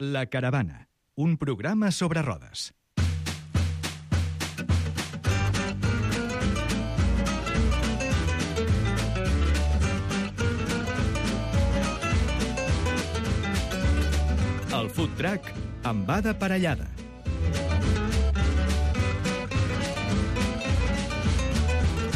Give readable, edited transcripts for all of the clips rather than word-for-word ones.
La Caravana, un programa sobre rodes. El food truck amb Ada Parellada.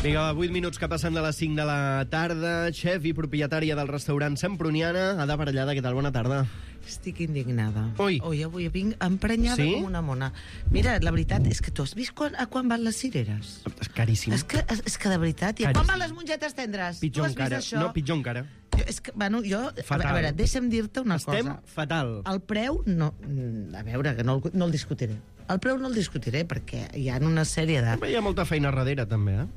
Vinga, 8 minuts que passen de les 5 de la tarda. Xef i propietària del restaurant Semproniana, Ada Parellada, què tal? Bona tarda. Estic indignada. Ui. Avui vinc emprenyada com una mona. Mira, la veritat és que tu has vist a quan van les cireres? És caríssim. És que de veritat... I a quan van les mongetes tendres? Pitjor Tu has vist encara. això? No, pitjor encara. Jo, Fatal. a veure, deixa'm dir-te una Estem cosa. fatal. El preu, no, a veure, que no el discutiré. El preu no el discutiré perquè hi ha una sèrie de... Hi ha molta feina darrere, també, eh?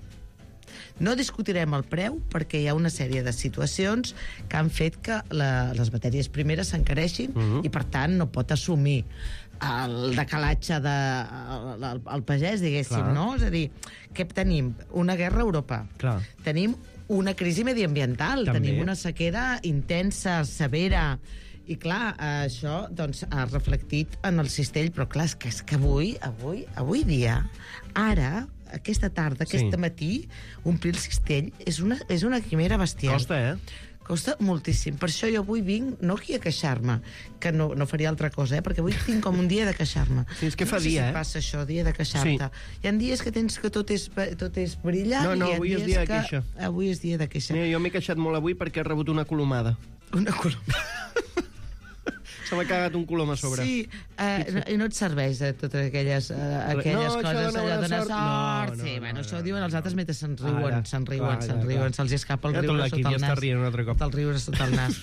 No discutirem el preu perquè hi ha una sèrie de situacions que han fet que les matèries primeres s'encareixin i, per tant, no pot assumir el decalatge del pagès, diguéssim, Clar. no? És a dir, què tenim? Una guerra a Europa. Clar. Tenim una crisi mediambiental, També. tenim una sequera intensa, severa, i clar, això doncs, ha reflectit en el cistell, però clar, és que avui dia, ara, aquesta tarda, aquest matí, omplir el cistell és una quimera bestial. Costa, eh? Costa moltíssim. Per això jo avui vinc, no aquí a queixar-me, que no faria altra cosa, perquè avui tinc com un dia de queixar-me. Sí, és que fa no sé dia, si passa això, dia de queixar-te. Sí. Hi ha dies que tens que tot és brillant, No, i hi ha avui és dies dia de que... queixa. Avui és dia de queixa. Mira, jo m'he queixat molt avui perquè he rebut una colomada. Una coloma. Se m'ha cagat un colom a sobre. Sí, i no et serveix de totes aquelles això coses, dona allò bona dona sort. sort. No, Sí, no, bueno, no, això no, ho diuen els altres mentre se'ns riuen, Clar. se'ls escapa el Ja tot riure l'equip sota el ja nas. està rient un altre cop. El riure sota el nas.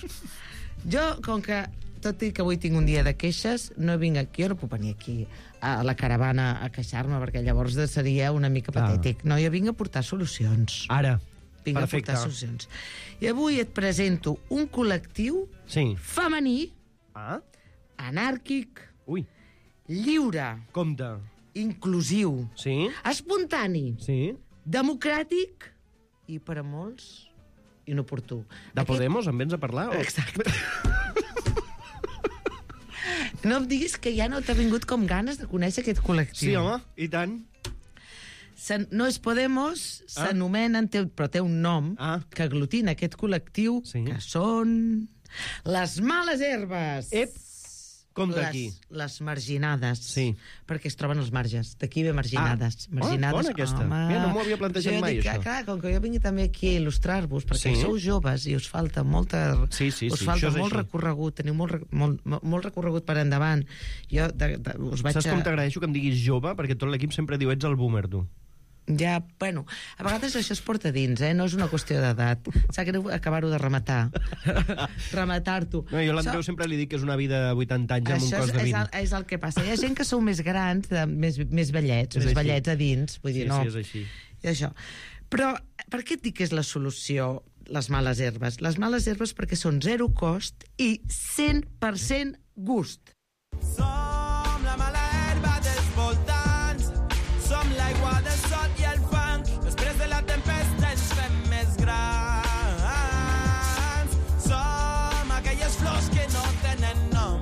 Jo, com que tot i que avui tinc un dia de queixes, no vinc aquí, jo no puc venir aquí a la caravana a queixar-me, perquè llavors seria una mica patètic. No, jo vinc a portar solucions. Ara, Vinc perfecte. a portar solucions. I avui et presento un col·lectiu Sí. femení, Ah? anàrquic, Ui, lliure, compte. inclusiu, Sí? espontani, Sí? democràtic i, per a molts, inoportú. De Podemos en vens a parlar? O? Exacte. No em diguis que ja no t'ha vingut com ganes de conèixer aquest col·lectiu. Sí, home, i tant. No és Podemos, s'anomenen, però té un nom que aglutina aquest col·lectiu, que són les males herbes. Ep, compte aquí. Les marginades. Sí. Perquè es troben als marges. D'aquí ve marginades. Marginades, bona aquesta. home. Mira, no m'ho havia plantejat Jo mai, dic, això. Clar, com que jo vingui també aquí a il·lustrar-vos, perquè sou joves i us falta molta... us falta molt recorregut, teniu molt recorregut per endavant. Jo us vaig... Saps com t'agraeixo que em diguis jove? Perquè tot l'equip sempre diu, ets el boomer, tu. Ja, bueno, a vegades això es porta dins, no és una qüestió d'edat. Sap greu acabar-ho de rematar. Rematar-t'ho. No, jo a l'Andreu sempre li dic que és una vida de 80 anys amb un cos de 20. Això és el que passa. Hi ha gent que sou més grans, més vellets, més vellets a dins. Vull dir, no. Sí, és així. I això. Però per què et dic que és la solució les males herbes? Les males herbes perquè són zero cost i 100% gust. Som la mala herba dels voltants, som l'aigua del sol i el fang, després de la tempesta ens fem més grans. Som aquelles flors que no tenen nom,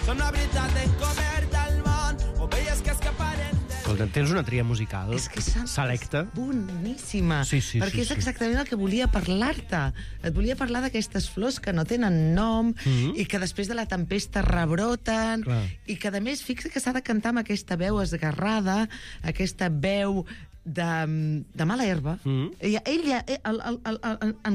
som la veritat encoberta al món, ovelles que escaparen del... Escolta, tens una tria musical selecta. Boníssima. Sí, perquè és exactament el que volia parlar-te. Et volia parlar d'aquestes flors que no tenen nom i que després de la tempesta rebroten i que, a més, fixa que s'ha de cantar amb aquesta veu esgarrada, aquesta veu de mala herba. En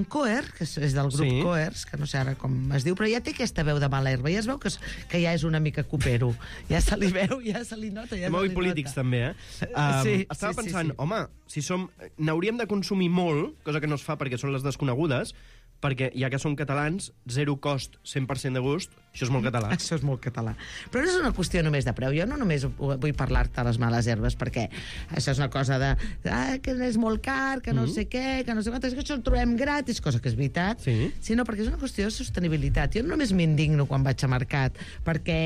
Coer, que és del grup Coers, que no sé ara com es diu, però ja té aquesta veu de mala herba, ja es veu que ja és una mica copero, ja se li veu, ja se li nota. Molt polítics també, eh? Estava pensant, home, si n'hauríem de consumir molt, cosa que no es fa perquè són les desconegudes, perquè ja que som catalans, zero cost, 100% de gust, això és molt català. Això és molt català. Però no és una qüestió només de preu. Jo no només vull parlar-te de les males herbes, perquè això és una cosa de que és molt car, que no sé què, que no sé quantes, que això el trobem gratis, cosa que és veritat, sinó perquè és una qüestió de sostenibilitat. Jo no només m'indigno quan vaig a mercat perquè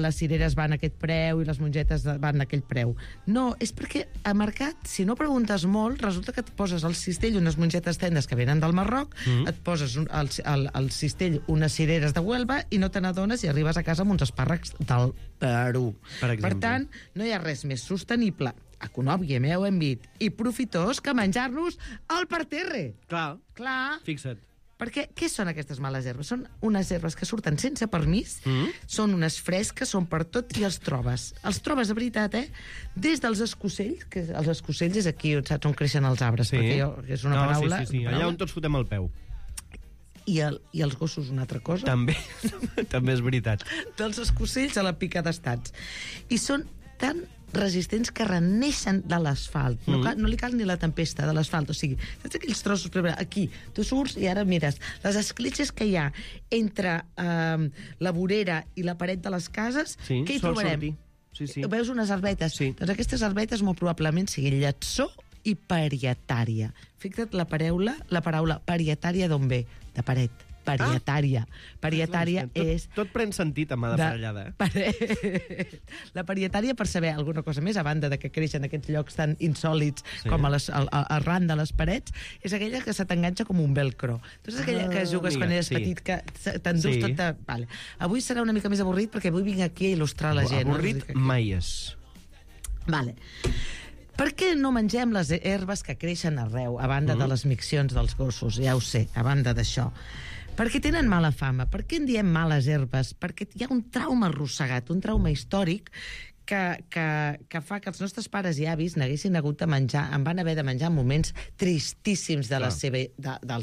les cireres van a aquest preu i les mongetes van a aquell preu. No, és perquè a mercat, si no preguntes molt, resulta que et poses al cistell unes mongetes tendes que venen del Marroc, et poses al cistell unes cireres de Huelva casa i no te n'adones i arribes a casa amb uns espàrrecs del Perú. Per exemple. Per tant, no hi ha res més sostenible, econòmic, ja ho hem dit, i profitós que menjar-los al parterre. Clar. Fixa't. Perquè què són aquestes males herbes? Són unes herbes que surten sense permís, són unes fresques, són per tot i els trobes. Els trobes, de veritat, des dels escocells, que els escocells és aquí, saps, on creixen els arbres, perquè és una paraula... Sí, allà on tots fotem el peu. I els gossos una altra cosa. També és veritat. Dels escocells a la pica d'estats. I són tan resistents que reneixen de l'asfalt. No li cal ni la tempesta de l'asfalt. O sigui, saps aquells trossos? Aquí, tu surts i ara mires les escletxes que hi ha entre la vorera i la paret de les cases, què hi trobarem? Sí. Veus unes arbetes? Sí. Doncs aquestes arbetes molt probablement siguin lletsó i parietària. Fixa't la paraula parietària d'on ve? De paret. Parietària. Parietària és... Tot pren sentit amb Parellada. La parietària, per saber alguna cosa més, a banda de que creixen aquests llocs tan insòlits com arran de les parets, és aquella que se t'enganxa com un velcro. Tu saps aquella que jugues quan eres petit, que t'endús tot... Vale. Avui serà una mica més avorrit perquè avui vinc aquí a il·lustrar la gent. Avorrit mai és. Vale. Per què no mengem les herbes que creixen arreu, a banda de les miccions dels gossos? Ja ho sé, a banda d'això. Perquè tenen mala fama. Per què en diem males herbes? Perquè hi ha un trauma arrossegat, un trauma històric que fa que els nostres pares i avis n'haguessin hagut de menjar, en van haver de menjar en moments tristíssims del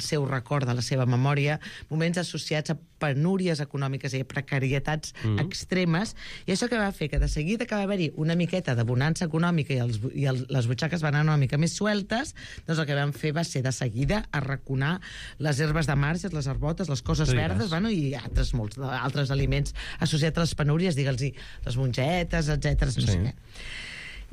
seu record, de la seva memòria, moments associats a penúries econòmiques i a precarietats extremes, i això que va fer que de seguida que va haver-hi una miqueta de bonança econòmica i les butxaques van anar una mica més sueltes, doncs el que van fer va ser de seguida arraconar les herbes de marges, les herbotes, les coses verdes, i molts altres aliments associats a les penúries, digue'ls-hi, les mongetes, etc. No sé què.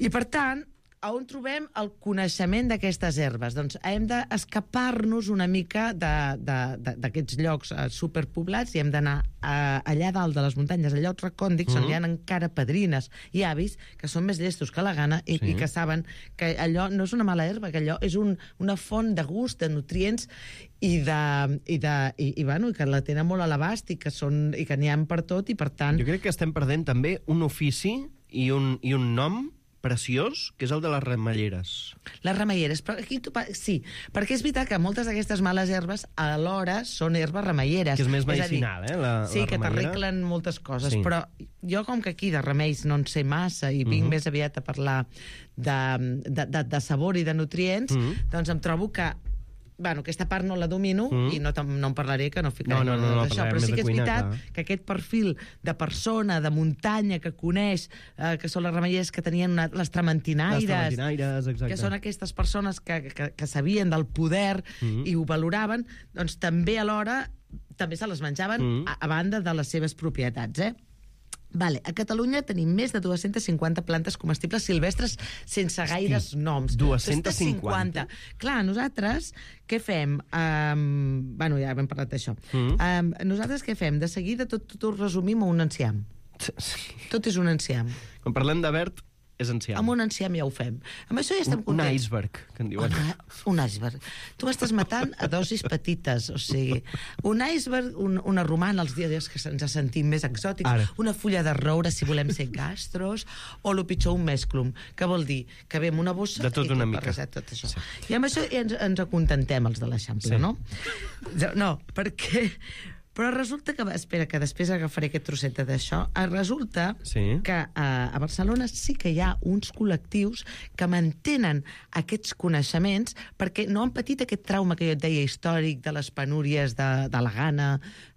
I per tant, on trobem el coneixement d'aquestes herbes? Doncs hem d'escapar-nos una mica d'aquests llocs superpoblats i hem d'anar allà dalt de les muntanyes, a llocs recòndics, on hi ha encara padrines i avis que són més llestos que la gana i que saben que allò no és una mala herba, que allò és una font de gust, de nutrients i que la tenen molt a l'abast i que n'hi ha per tot i per tant... Jo crec que estem perdent també un ofici i un nom preciós, que és el de les remeieres. Les remeieres, però aquí sí, perquè és veritat que moltes d'aquestes males herbes alhora són herbes remeieres. Que és més medicinal, la sí, que t'arreglen moltes coses, però jo com que aquí de remeis no en sé massa i vinc més aviat a parlar de sabor i de nutrients, doncs em trobo que aquesta part no la domino i no en parlaré, que no ficaré d'això, però sí que és veritat que aquest perfil de persona, de muntanya, que coneix, que són les remeieres que tenien les trementinaires, que són aquestes persones que sabien del poder i ho valoraven, doncs també alhora també se les menjaven a banda de les seves propietats, Vale, a Catalunya tenim més de 250 plantes comestibles silvestres sense gaires noms. 250? Clar, nosaltres què fem? Ja hem parlat d'això. Nosaltres què fem? De seguida tot ho resumim a un enciam. Tot és un enciam. Quan parlem de verd, és enciam. Amb un enciam ja ho fem. Amb això ja estem contents. Un iceberg, que en diuen. Un iceberg. Tu estàs matant a dosis petites, o sigui, un iceberg, una romana, els dies que ens sentim més exòtics, una fulla de roure, si volem ser gastros, o el pitjor, un mesclum, que vol dir que ve amb una bossa... De tot una mica. Tot això. I amb això ens acontentem, els de l'Eixample, no? No, perquè... Però resulta que... Espera, que després agafaré aquest trosset d'això. Resulta que a Barcelona sí que hi ha uns col·lectius que mantenen aquests coneixements perquè no han patit aquest trauma que jo et deia històric de les penúries de la gana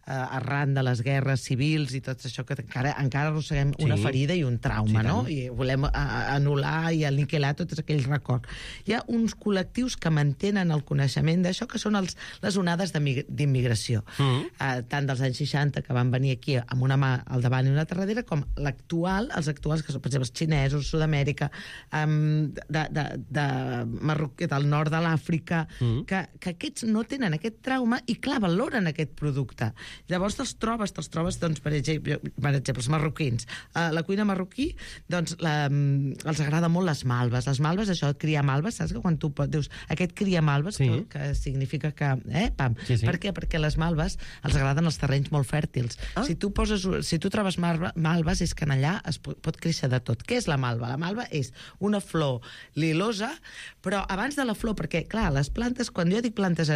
arran de les guerres civils i tot això, que encara arrosseguem una ferida i un trauma, no? I volem anul·lar i aniquilar tots aquells records. Hi ha uns col·lectius que mantenen el coneixement d'això, que són les onades d'immigració. Tant dels anys 60, que van venir aquí amb una mà al davant i una altra darrere, com els actuals, que són, per exemple, els xinesos, Sud-amèrica, del nord de l'Àfrica, que aquests no tenen aquest trauma i, clar, valoren aquest producte. Llavors te'ls trobes, doncs, per exemple, els marroquins. La cuina marroquí, doncs, els agrada molt les malves. Les malves, això, criar malves, saps que quan tu dius aquest cria malves, que significa que... pam. Sí. Per què? Perquè les malves els agraden els terrenys molt fèrtils. Si tu trobes malves, és que en allà es pot créixer de tot. Què és la malva? La malva és una flor lilosa, però abans de la flor, perquè, clar, les plantes, quan jo dic plantes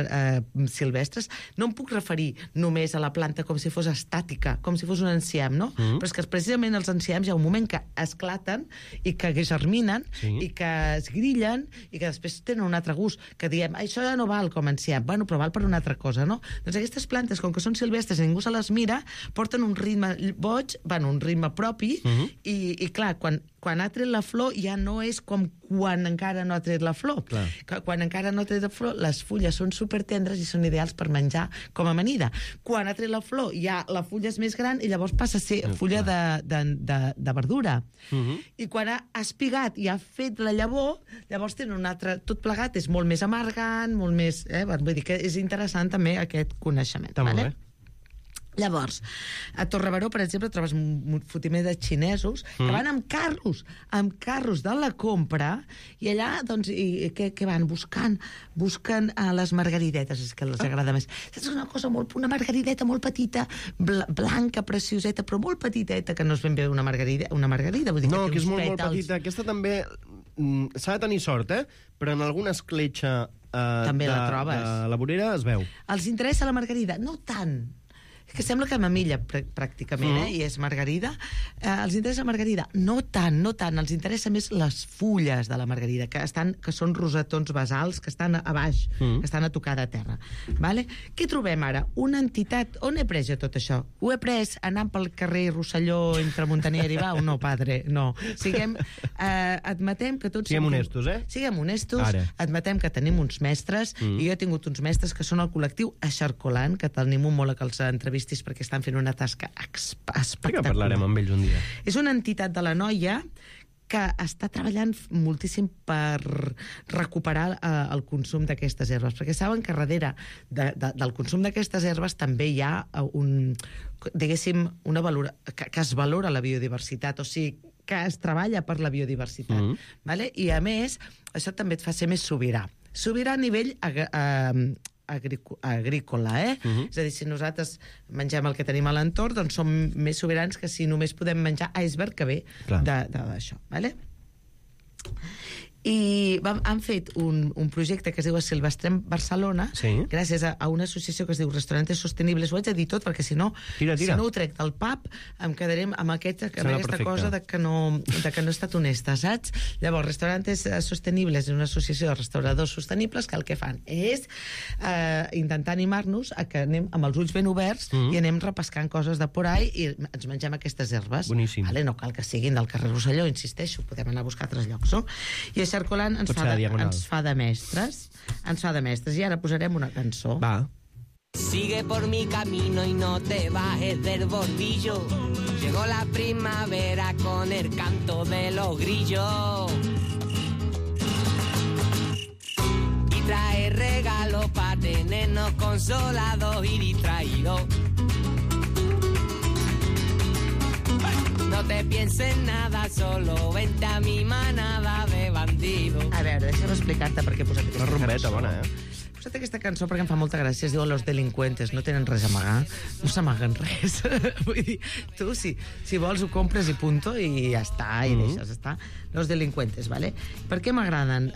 silvestres, no em puc referir només a la planta com si fos estàtica, com si fos un enciam, no? Però és que precisament els enciams hi ha un moment que esclaten i que germinen i que es grillen i que després tenen un altre gust, que diem, això ja no val com enciam, bueno, però val per una altra cosa, no? Doncs aquestes plantes, com que són silvestres i ningú se les mira, porten un ritme boig, bueno, un ritme propi, i clar, quan ha tret la flor ja no és com quan encara no ha tret la flor. Quan encara no ha tret la flor, les fulles són supertendres i són ideals per menjar com a amanida. Quan ha tret la flor, ja la fulla és més gran i llavors passa a ser fulla de verdura. I quan ha espigat i ha fet la llavor, llavors tenen un altre... Tot plegat és molt més amargant, molt més... Vull dir que és interessant també aquest coneixement. Està molt bé. Llavors, a Torrebaró, per exemple, trobes un fotimer de xinesos que van amb carros de la compra, i allà, doncs, què van? Buscant les margaridetes, és que els agrada més. És una cosa una margarideta molt petita, blanca, precioseta, però molt petiteta, que no és ben bé una margarida, vull dir, no, que és molt petita. Aquesta també s'ha de tenir sort, però en alguna escletxa també la trobes. De la vorera es veu. Els interessa la margarida? No tant. Que sembla que mamilla, pràcticament, i és margarida. Els interessa la margarida? No tant. Els interessa més les fulles de la margarida, que són rosetons basals, que estan a baix, que estan a tocar de terra. Vale? Què trobem ara? Una entitat... On he pres jo tot això? Ho he pres anant pel carrer Rosselló entre Montaner i Bau? No, padre, no. Admetem que tots... Siguem honestos, Siguem honestos, admetem que tenim uns mestres, i jo he tingut uns mestres que són el col·lectiu Eixarcolant, que t'animo molt a que els entrevistis perquè estan fent una tasca espectacular. Que parlarem amb ells un dia. És una entitat de la Noia que està treballant moltíssim per recuperar el consum d'aquestes herbes, perquè saben que darrere del consum d'aquestes herbes també hi ha una que es valora la biodiversitat, o sigui, que es treballa per la biodiversitat. Vale? I, a més, això també et fa ser més sobirà. Sobirà a nivell agrícola, És a dir, si nosaltres mengem el que tenim a l'entorn, doncs som més sobirans que si només podem menjar iceberg que ve d'això, vale? I han fet un projecte que es diu Silvestrem Barcelona, gràcies a una associació que es diu Restaurantes Sostenibles. Ho haig de dir tot, perquè si no ho trec del pub, em quedaré amb aquesta cosa de que no he estat honesta, saps? Llavors, Restaurantes Sostenibles és una associació de restauradors sostenibles que el que fan és intentar animar-nos a que anem amb els ulls ben oberts i anem repescant coses de por ahí i ens mengem aquestes herbes. Boníssim. No cal que siguin del carrer Rosselló, insisteixo, podem anar a buscar altres llocs, no? I Eixarcolant ens fa de mestres. I ara posarem una cançó. Va. Sigue por mi camino y no te bajes del bordillo. Llegó la primavera con el canto de los grillos. Y trae regalos para tenernos consolados y distraídos. No te pienses nada, solo vente a mi manada de bandidos. A veure, deixa'm explicar-te per què he posat aquesta cançó. Una rumbeta bona, He posat aquesta cançó perquè em fa molta gràcia. Es diu Los Delincuentes, no tenen res a amagar. No s'amaguen res. Vull dir, tu, si vols, ho compres i punto, i ja està, i deixes estar. Los Delincuentes, vale? Per què m'agraden?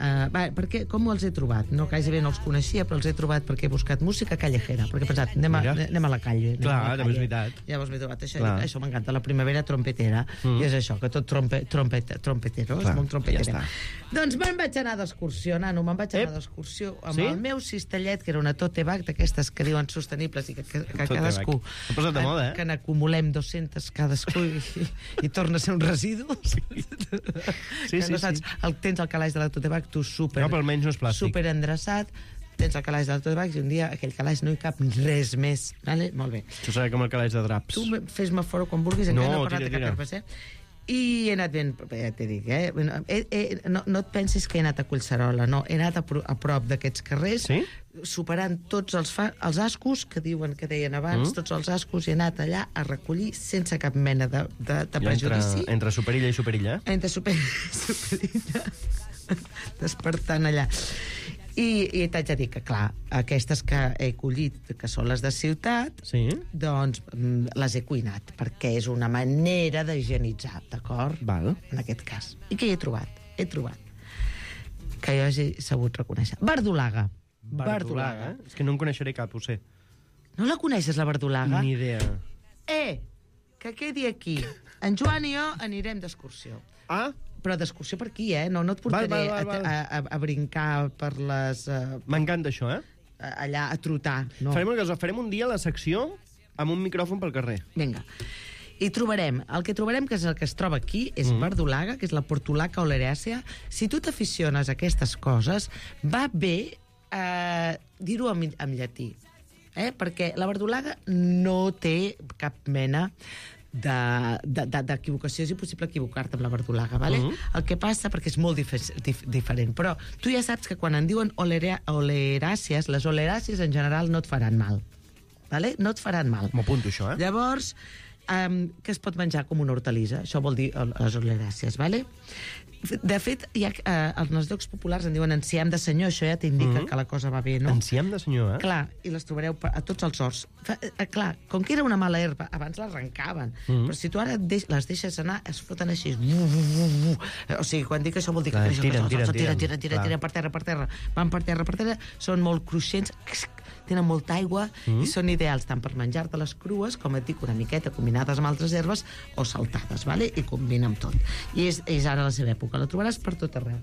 Com els he trobat? No, gairebé no els coneixia, però els he trobat perquè he buscat música callejera, perquè he pensat, anem a la calle. Clar, també és veritat. Llavors m'he trobat això m'encanta, la primavera trompetera, i és això, que tot trompetero, és molt trompetera. Doncs me'n vaig anar d'excursió, nano, amb el meu cistellet, que era una tote bag d'aquestes que diuen sostenibles i que cadascú... Ha posat de moda, que n'acumulem 200 cadascú i torna a ser un residu. Tens el calaix de la tote bag, tu super endreçat, tens el calaix de la tote bag i un dia aquell calaix no hi cap res més. Vale? Molt bé. Això serà com el calaix de draps. Tu fes-me fora quan vulguis, encara no he parlat de cap herbes, I he anat ben, ja t'he dit, no et pensis que he anat a Collserola, no, he anat a prop d'aquests carrers, Sí? superant tots els ascos que deien abans, tots els ascos, i he anat allà a recollir sense cap mena de prejudici. Entre Superilla i Superilla. Entre Superilla, despertant allà. I t'haig de dir que, clar, aquestes que he collit, que són les de ciutat, Sí? doncs les he cuinat, perquè és una manera d'higienitzar, d'acord? Val. En aquest cas. I què hi he trobat? He trobat que jo hagi sabut reconèixer. Verdolaga. Verdolaga. És que no en coneixeré cap, ho sé. No la coneixes, la verdolaga? Ni idea. Que quedi aquí. En Joan i jo anirem d'excursió. Ah, Però d'excursió per aquí, no et portaré Val. a brincar per les... m'encanta això, allà a trotar. No. Farem una cosa, farem un dia la secció amb un micròfon pel carrer. Vinga. I trobarem, el que trobarem, que és el que es troba aquí, és verdolaga, que és la portulaca oleràcea. Si tu t'aficiones a aquestes coses, va bé dir-ho en llatí. Perquè la verdolaga no té cap mena d'equivocació. És impossible equivocar-te amb la verdolaga, vale? El que passa, perquè és molt diferent, però tu ja saps que quan en diuen oleràcies, les oleràcies en general no et faran mal. Vale? No et faran mal. M'apunto això, Llavors, que es pot menjar com una hortalissa, això vol dir les oleràcies, vale? De fet, en els llocs populars en diuen enciam de senyor, això ja t'indica que la cosa va bé, no? Enciam de senyor, Clar, i les trobareu a tots els horts. Clar, com que era una mala herba, abans l'arrencaven, però si tu ara les deixes anar, es foten així. O sigui, quan dic això vol dir que tiren per terra, van per terra, són molt cruixents, tenen molta aigua i són ideals tant per menjar-te-les crues, com et dic, una miqueta combinades amb altres herbes o saltades, vale? I combina amb tot. I és ara la seva època, la trobaràs per tot arreu.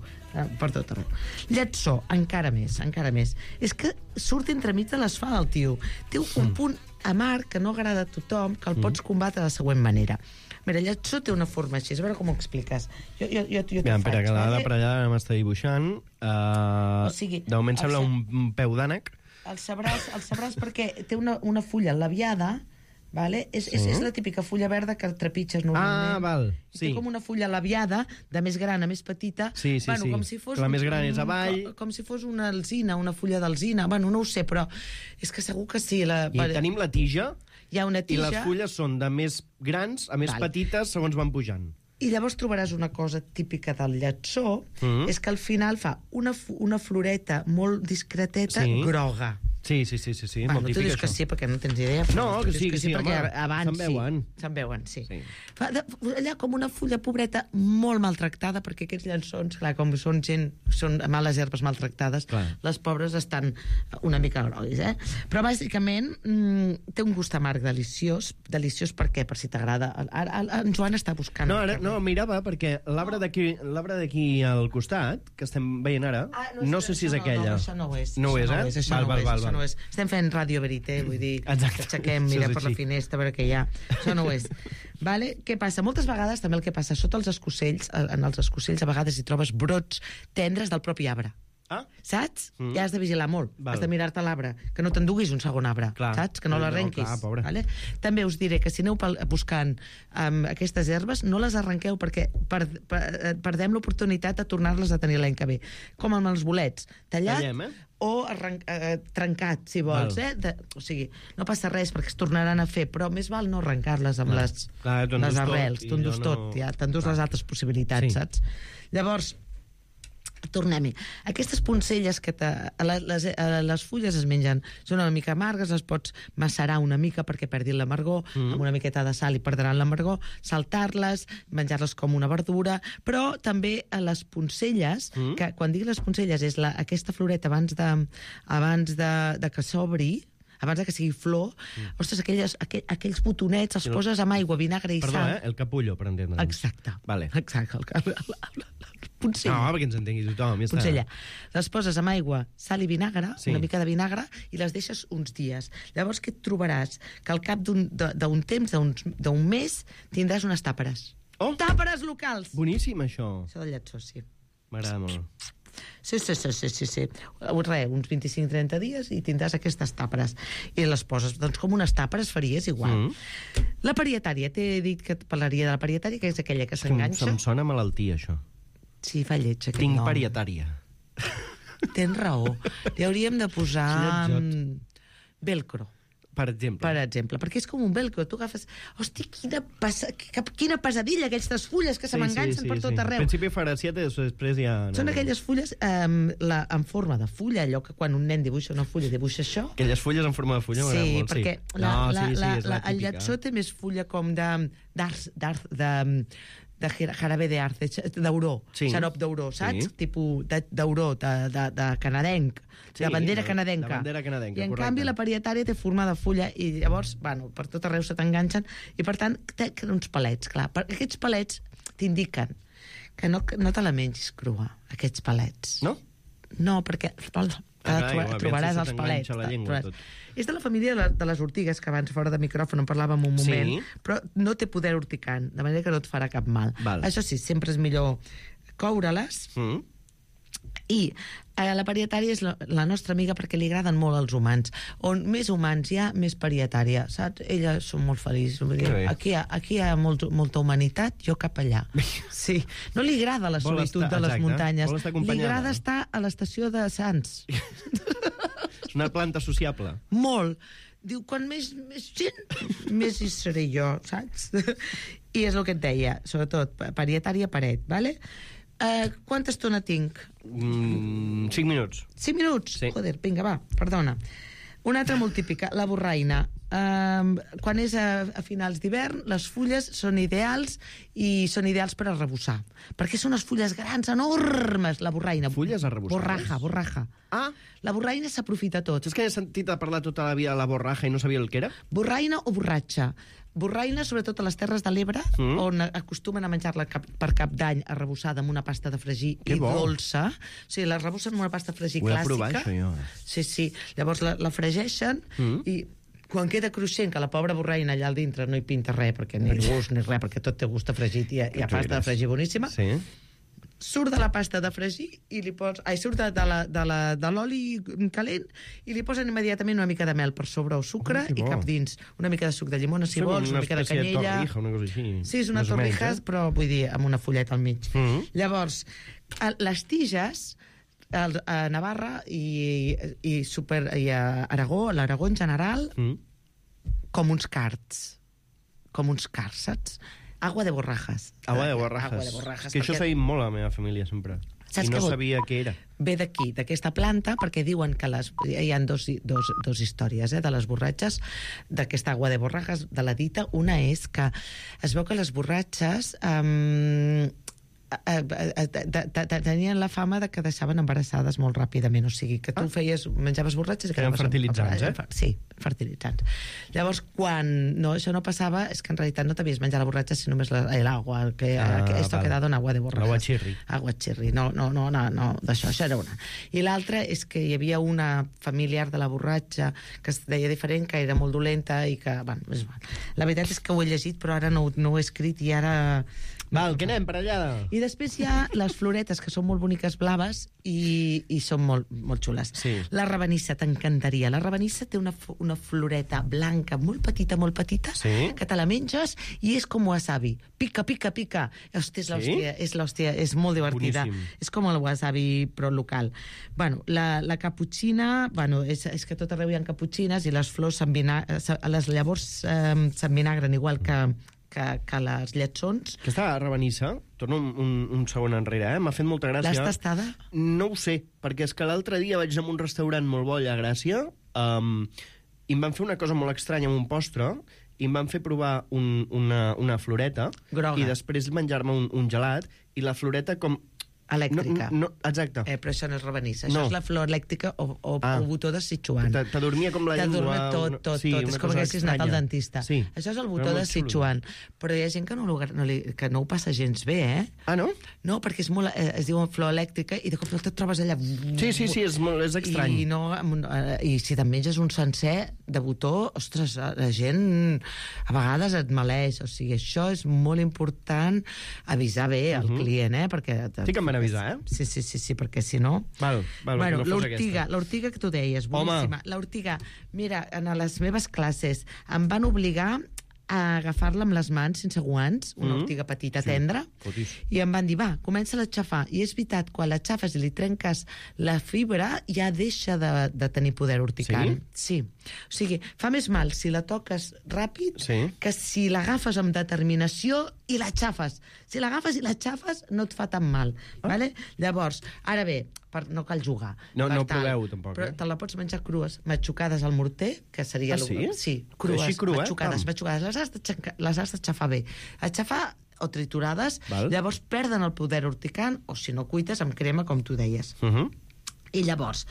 Lletsó, encara més. És que surt entremig de les fa el tio. Té un punt amarg que no agrada a tothom, que el pots combatre de la següent manera. Mira, lletsó té una forma així, a veure com ho expliques. Jo t'ho faig. Espera, que la per allà m'està dibuixant. De moment sembla un peu d'ànec. El sabràs perquè té una fulla labiada, vale? És la típica fulla verda que trepitges normalment. Ah, val, sí. Té com una fulla labiada, de més gran a més petita. Sí. Com si fos la més gran és avall. Com si fos una alzina, una fulla d'alzina. Bueno, no ho sé, però és que segur que sí. I tenim la tija, hi ha una tija, i les fulles són de més grans a més petites segons van pujant. I llavors trobaràs una cosa típica del lletsó, és que al final fa una floreta molt discreteta, groga. Sí, molt típic, tu dius això. que sí, perquè no tens idea. No, que sí, perquè home, abans se'n veuen, sí. Fa allà com una fulla pobreta molt maltractada, perquè aquests llençons, clar, com són males herbes maltractades, les pobres estan una mica groguis, Però bàsicament té un gust amarg deliciós per què? Per si t'agrada. En Joan està buscant... No, mirava, perquè l'arbre d'aquí al costat, que estem veient ara, no sé si és aquella. Això no ho és. No ho és, Val. No és. Estem fent Radio Verité, vull dir, aixequem, mira per la finestra, a veure què hi ha. Això no ho és. Vale? Què passa? Moltes vegades també el que passa, sota els escocells, en els escocells a vegades hi trobes brots tendres del propi arbre. Saps? Ja has de vigilar molt. Has de mirar-te l'arbre, que no t'enduguis un segon arbre, saps? Que no l'arrenquis. Vale? També us diré que si aneu buscant aquestes herbes, no les arrenqueu perquè perdem l'oportunitat de tornar-les a tenir l'any que ve. Com amb els bolets. Tallat o trencat, si vols. O sigui, no passa res perquè es tornaran a fer, però més val no arrencar-les amb les arrels. Tu endús tot, ja t'endús les altres possibilitats, saps? Llavors, tornem-hi. Aquestes poncelles que les fulles es mengen són una mica amargues, les pots macerar una mica perquè perdin l'amargor, amb una miqueta de sal i perdran l'amargor, saltar-les, menjar-les com una verdura, però també a les poncelles, que quan dic les poncelles és aquesta floreta abans de que s'obri, abans que sigui flor, ostres, aquells botonets els poses amb aigua, vinagre i sal. Perdó, el capullo, per entendre'ns. Exacte. Vale. Exacte. Poncella. No, perquè ens entengui tothom. Poncella. Les poses amb aigua, sal i vinagre, una mica de vinagre, i les deixes uns dies. Llavors, què et trobaràs? Que al cap d'un temps, d'un mes, tindràs unes tàperes. Tàperes locals! Boníssim, això. Això del lletsó, sí. M'agrada molt. Sí. Uns 25-30 dies i tindràs aquestes tàperes. I les poses, doncs, com unes tàperes faries igual. La parietària, t'he dit que et parlaria de la parietària, que és aquella que s'enganxa. Em sona malaltia, això. Sí, fa lleig, aquest Tinc nom. parietària. Tens raó. Li hauríem de posar velcro. Per exemple. Perquè és com un velcro. Tu agafes... Hosti, quina pesadilla, aquestes fulles que se m'enganxen per tot arreu. Al principi farà 7 i després ja... Són aquelles fulles en forma de fulla, allò que quan un nen dibuixa una fulla dibuixa això. Aquelles fulles en forma de fulla m'agrada Sí, molt, perquè el lletsó té més fulla com de jarabe d'auró, xarop d'auró, saps? Tipus d'auró, de canadenc, de bandera canadenca. I en canvi la parietària té forma de fulla i llavors, bueno, per tot arreu se t'enganxen i per tant té uns palets, clar. Aquests palets t'indiquen que no te la mengis crua, aquests palets. No? No, perquè trobaràs els palets. És de la família de les ortigues, que abans fora de micròfon en parlàvem un moment, però no té poder urticant, de manera que no et farà cap mal. Això sí, sempre és millor coure-les. I la parietària és la nostra amiga perquè li agraden molt als humans. On més humans hi ha, més parietària, saps? Elles són molt feliços. Aquí hi ha molta humanitat, jo cap allà. Sí. No li agrada la solitud de les muntanyes. Li agrada estar a l'estació de Sants. És una planta sociable. Molt. Diu, quan més gent, més hi seré jo, saps? I és el que et deia, sobretot, parietària paret, ¿vale? Quanta estona tinc? 5 minuts. 5 minuts? Sí. Joder, vinga, va, perdona. Una altra molt típica, la borraina. Quan és a finals d'hivern, les fulles són ideals i són ideals per arrebossar. Perquè són unes fulles grans, enormes, la borraina. Fulles arrebossades? Borraja. Ah! La borraina s'aprofita tot. És que he sentit a parlar tota la vida de la borraja i no sabia el que era? Borraina o borratxa. Borraina, sobretot a les Terres de l'Ebre, on acostumen a menjar-la per Cap d'Any arrebossada amb una pasta de fregir i dolça. O sigui, la arrebossen amb una pasta de fregir clàssica. Ho he de provar, això, jo. Sí. Llavors la fregeixen i quan queda cruixent, que la pobra borraina allà al dintre no hi pinta res, perquè ni gust ni res, perquè tot té gust de fregit i ha pasta de fregir boníssima. Sí. Surt de la pasta de fregir i li pots... surt de l'oli calent i li posen immediatament una mica de mel per sobre o sucre i cap dins. Una mica de suc de llimona, si vols, una mica de canyella. Una torrija, una cosa així. Sí, és una torrija, però vull dir, amb una fulleta al mig. Llavors, les tiges a Navarra i a Aragó, a l'Aragó en general, com uns cards, saps? Agua de borrajas. Agua de borrajas. Que això s'ha dit molt a la meva família, sempre. I no sabia què era. Ve d'aquí, d'aquesta planta, perquè diuen que hi ha dos històries de les borratxes, d'aquesta agua de borrajas, de la dita. Una és que es veu que les borratxes tenien la fama de que deixaven embarassades molt ràpidament, o sigui, que tu menjaves borratxes i eren fertilitzants, Sí, fertilitzants. Llavors, quan això no passava, és que en realitat no t'havies menjat la borratxa, sinó només l'aigua, que esto ha quedado en agua de borrajas. Agua chirri. No, d'això era una. I l'altra és que hi havia una familiar de la borratxa que es deia diferent, que era molt dolenta i que, bueno, és igual. La veritat és que ho he llegit, però ara no ho he escrit i ara... Val, que anem per allà. I després hi ha les floretes, que són molt boniques blaves i són molt xules. Sí. La rabanissa t'encantaria. La rabanissa té una floreta blanca molt petita, que te la menges i és com wasabi. Pica. Hòstia, és l'hòstia, és molt divertida. Boníssim. És com el wasabi, però local. Bueno, la caputxina, és que tot arreu hi ha caputxines i les flors les llavors s'envinagren igual que les lletsons. Aquesta rabanissa, torno un segon enrere, m'ha fet molta gràcia. L'has tastada? No ho sé, perquè és que l'altre dia vaig anar a un restaurant molt bo allà a Gràcia i em van fer una cosa molt estranya amb un postre i em van fer provar una floreta groga i després menjar-me un gelat i la floreta com... elèctrica. No, exacte. Però això no és rabanissa. Això és la flor elèctrica o botó de Sichuan. T'adormia com la llengua. Tot. És com que haguessis anat al dentista. Sí. Això és el botó de Sichuan. Però hi ha gent que no ho passa gens bé, eh? Ah, no? No, perquè es diu flor elèctrica i de cop et trobes allà... Sí, és estrany. I si te'n menges un sencer de botó, ostres, la gent a vegades et maleix. O sigui, això és molt important avisar bé al client, eh? Perquè... Sí que em van avisar, Sí, perquè si no... Val, bueno, no fos aquesta. l'ortiga que tu deies, boníssima. L'ortiga, mira, en les meves classes em van obligar a agafar-la amb les mans sense guants, una ortiga petita, tendra, i em van dir, va, comença-la a xafar. I és veritat, quan la xafes i li trenques la fibra, ja deixa de tenir poder urticant. Sí? O sigui, fa més mal si la toques ràpid que si l'agafes amb determinació i la xafes. Si l'agafes i la xafes, no et fa tan mal. Vale? Llavors, ara bé, no cal jugar. No proveu, tampoc. Però te la pots menjar crues, matxucades al morter, que seria... sí? Sí, crues, així cru, matxucades. Les has d'aixafar bé. Aixafar o triturades, llavors perden el poder urticant, o si no cuites amb crema, com tu deies. I llavors,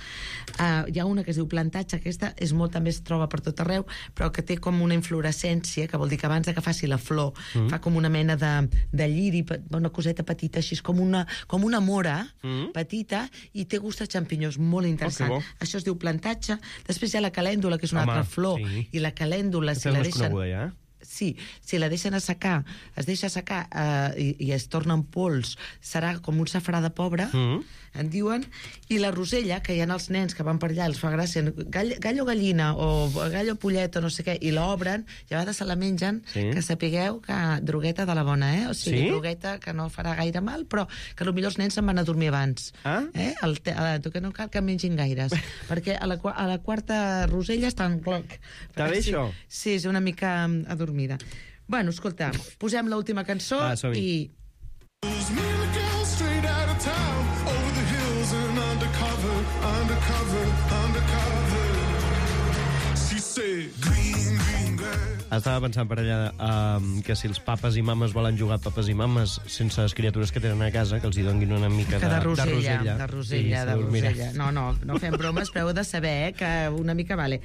hi ha una que es diu plantatge, aquesta també es troba per tot arreu, però que té com una inflorescència, que vol dir que abans que faci la flor, fa com una mena de lliri, una coseta petita, així com una mora petita, i té gust a xampinyons, molt interessant. Això es diu plantatge. Després hi ha la calèndula, que és una altra flor, i la calèndula, si la deixen... Sí, si la deixen assecar, es deixa assecar i es torna en pols, serà com un safrà de pobre, en diuen, i la rosella, que hi ha els nens que van per allà, els fa gràcia, gallo gallina o gallo pollet o no sé què, i l'obren, i a vegades se la mengen, que sapigueu que drogueta de la bona, o sigui, drogueta que no farà gaire mal, però que potser els nens se'n van a dormir abans. Que no cal que mengin gaires, perquè a la quarta rosella estan... Està bé, això? Sí, és una mica adormida. Bueno, escolta, posem l'última cançó i... Estava pensant per allà que si els papes i mames volen jugar a papes i mames sense les criatures que tenen a casa, que els hi donguin una mica de rosella. De rosella. No fem bromes, però heu de saber que una mica vale.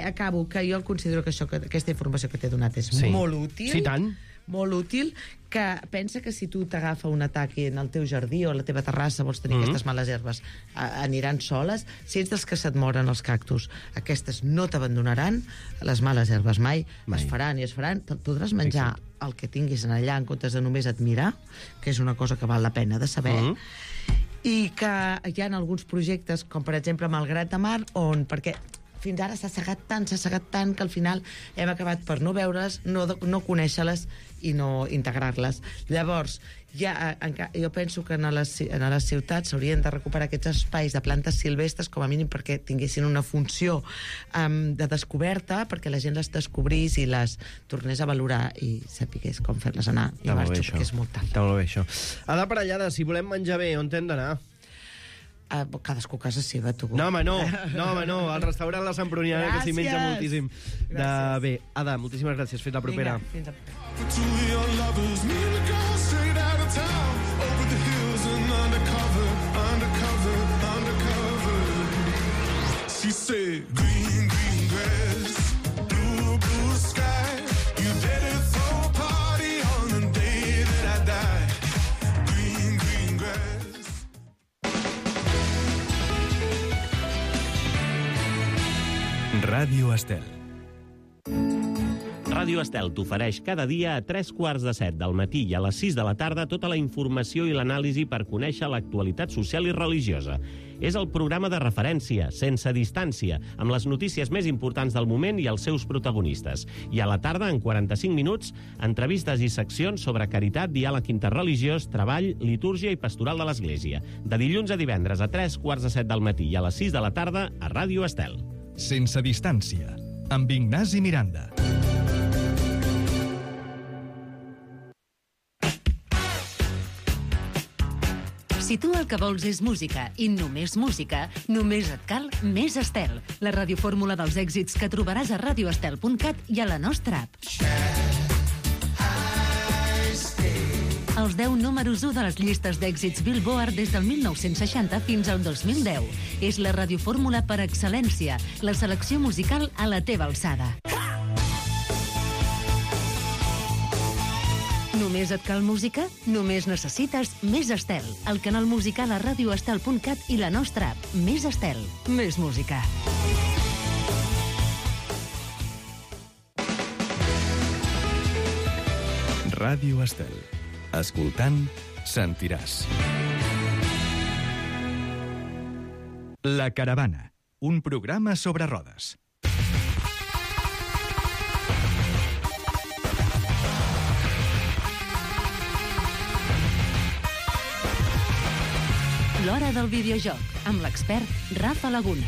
Acabo, que jo considero que aquesta informació que t'he donat és molt útil. Sí, tant. Molt útil, que pensa que si tu t'agafa un atac en el teu jardí o a la teva terrassa vols tenir aquestes males herbes, aniran soles. Si ets dels que se't moren els cactus, aquestes no t'abandonaran, les males herbes mai. Es faran i es faran. Podràs menjar el que tinguis en allà en comptes de només admirar, que és una cosa que val la pena de saber. I que hi ha alguns projectes, com per exemple Malgrat de Mar, on... perquè fins ara s'ha segat tant, que al final hem acabat per no veure-les, no conèixer-les i no integrar-les. Llavors, jo penso que a les ciutats s'haurien de recuperar aquests espais de plantes silvestres, com a mínim perquè tinguessin una funció de descoberta, perquè la gent les descobrís i les tornés a valorar i sapigués com fer-les anar. I marxo, perquè és molt tard. Està molt bé, això. Ada Parellada, si volem menjar bé, on hem d'anar? Cadascú a casa seva, tu. No, home, no. Al restaurant La Semproniana, que s'hi menja moltíssim. Bé, Ada, moltíssimes gràcies. Fins la propera. Vinga, fins la Ràdio Estel. Ràdio Estel t'ofereix cada dia a 3:15 del matí i a les 6 de la tarda tota la informació i l'anàlisi per conèixer l'actualitat social i religiosa. És el programa de referència, sense distància, amb les notícies més importants del moment i els seus protagonistes. I a la tarda, en 45 minuts, entrevistes i seccions sobre caritat, diàleg interreligiós, treball, litúrgia i pastoral de l'Església. De dilluns a divendres a 3:15 del matí i a les 6 de la tarda a Ràdio Estel. Sense distància, amb Ignasi Miranda. Si tu el que vols és música i només música, només et cal Més Estel, la radiofórmula dels èxits que trobaràs a radioestel.cat i a la nostra app. Els 10 números 1 de les llistes d'èxits Billboard des del 1960 fins al 2010. És la radiofórmula per excel·lència, la selecció musical a la teva alçada. Només et cal música? Només necessites Més Estel, el canal musical a radioestel.cat i la nostra app. Més Estel, més música. Ràdio Estel. Escoltant, sentiràs. La Caravana, un programa sobre rodes. L'Hora del Videojoc, amb l'expert Rafa Laguna.